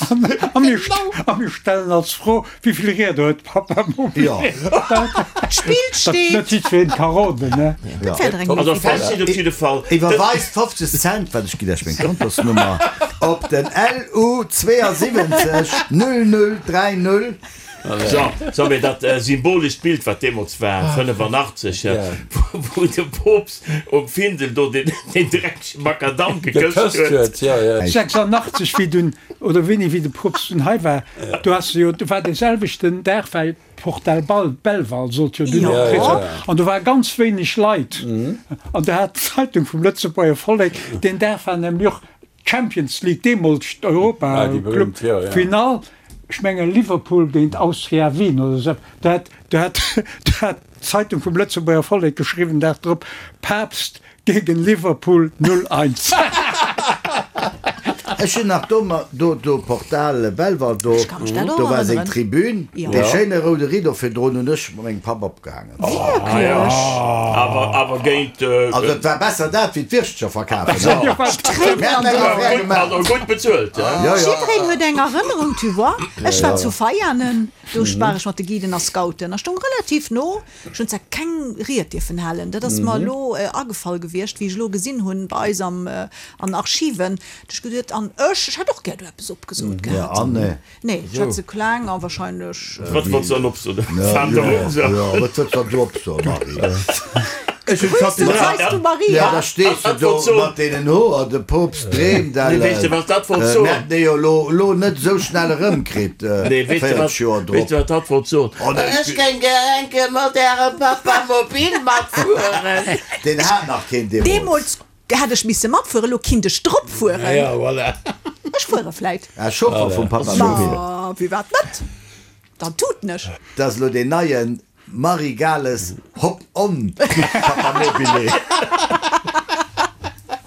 A mir stellen als Fro, Wéi vill Rieder huet Papamobile? D'Spill steet. Dat net jiddwereen ka roden, ne? Dat wär der eng Also fest steet op jidde Fall. Iwwerweist 50 Cent, wat ech ginn Iech meng Kontosnummer, op den LU 72 0030. So, so, mee dat symbolescht Bild, wat deemools war, 85, wou de Poopst um Findel do deen dreckege Makadamm gekësst huet. 86, wéi dunn, oder wéini, wéi de Poopst dunn hei war, do ass jo, do war dee selwechten Dag, well d'Portal Belval sollt jo dunn och kritt ginn, an do ware ganz wéineg Leit, an do hat d'Zeitung vum Lëtzebuerger Vollek, deen Dag war nämlech och d'Champions League, deemools d'Europa-Club Finall, Ech mengen Liverpool géint Austria Wien oder esou eppes. Do hat, do hat, do hat d'Zeitung vum Lëtzebuerger Vollek geschriwwen, Dag drop, Papst gegen Liverpool 0, 1. Ech hunn nach do, do, do Portal Belval, do, Ech ka mech dat och do war seng erënneren. Tribün, Jo. dee schéine roude Rideau virdrun hunn ech mat mengem Papp opgehaangen. Wierklech? Awer, awer géint. Also et war besser dat wéi d'Wirschtecher verkafen. D'Tréinen an den Aen. An och gutt bezuelt. Jiddereen huet eng Erënnerung, tu vois. Ech war zu Veianen, do war ech mat de Guiden a Scouten a stoung relativ no. Ech hunn zwar keng Ried dierfen halen, dat ass mer elo agefall gewiescht, wéi ech elo gesinn hunn bei eis am an Archiven, du ech geduet, an ech, ech hätt och gär do eppes opgesot gehat. Nee, ech hat ze kleng a wahrscheinlech. Wat wollts du dann opsoen? Wat wëlls dann du opsoen, Marie? Ech hunn d'Fatima. Weis du Maria? Ja, da stees du do mat deenen Hoer, de Poopst dreemt ellen. Nee, weess de wat dat wollt soen? Mir hätten dee jo elo elo net esou schnell erëmkritt, 40 Joer drop. Weess de wat dat wollt soen? Ech géing gär eng Kéier mat ärem Papamobil matfueren. Deen hat nach keen deemools. Deemools Hätt ech misse matfueren, elo kinnt ech drop fueren. Ja, voilà. Ech fuere vläit. Ah, Chauffer vum Papamobil. Ma firwat net? Dann tuten ech. Dat ass elo deen neien Marie Gales Hop on Papamobile.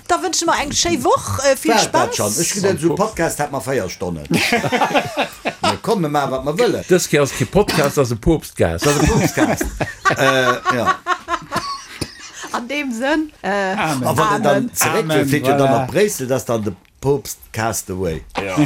Da wënsche mer eng schéi Woch, vill War et dat Spaass. schonn? Ech geduet esou Podcast hätt mer 4 Stonnen. Mir komm, mir maache wat mer wëllen. Dës Kéier ass kee Podcast, ass e Poopstcast. Dat ass e Poopstcast, jo. An deem Sënn, Amen. A wann en dann zeréck wëll, flitt jo dann op Bréissel, dat ass dann de Poopst Castaway. Jo.